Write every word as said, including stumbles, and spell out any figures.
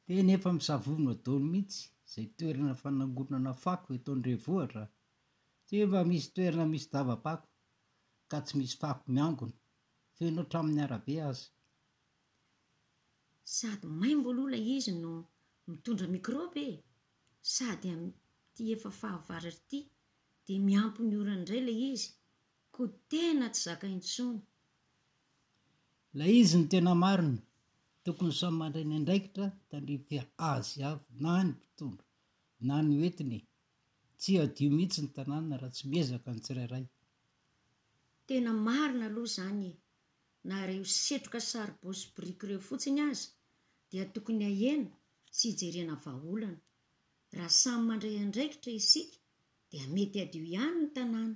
Tena efa misavovona daholo mihitsy izay toerana fanangonana fako eto an-drenivohitra. Tsy mba misy toerana misy dava-pako ka tsy misy fako miangona, feno hatramin'ny arabe aza. Sady maimbo aloha ilay izy no mitondra mikraoba e! Sady amin'ity efa fahavaratra ity dia miampy ny orana indray ilay izy, koa tena tsy zaka intsony. Ilay izy no tena marina, tokony samy mandray ny andraikitra tandrify azy avy na ny mpitondra na ny hoentina e! Tsy hadio mihitsy ny tanàna raha tsy miezaka ny tsirairay. Tena marina aloha izany e! Na ireo setroka saribao sy biriky ireo fotsiny aza dia tokony hahena sy hijerena vahaolana. Raha samy mandray andraikitra isika dia mety hadio ihany ny tanàna.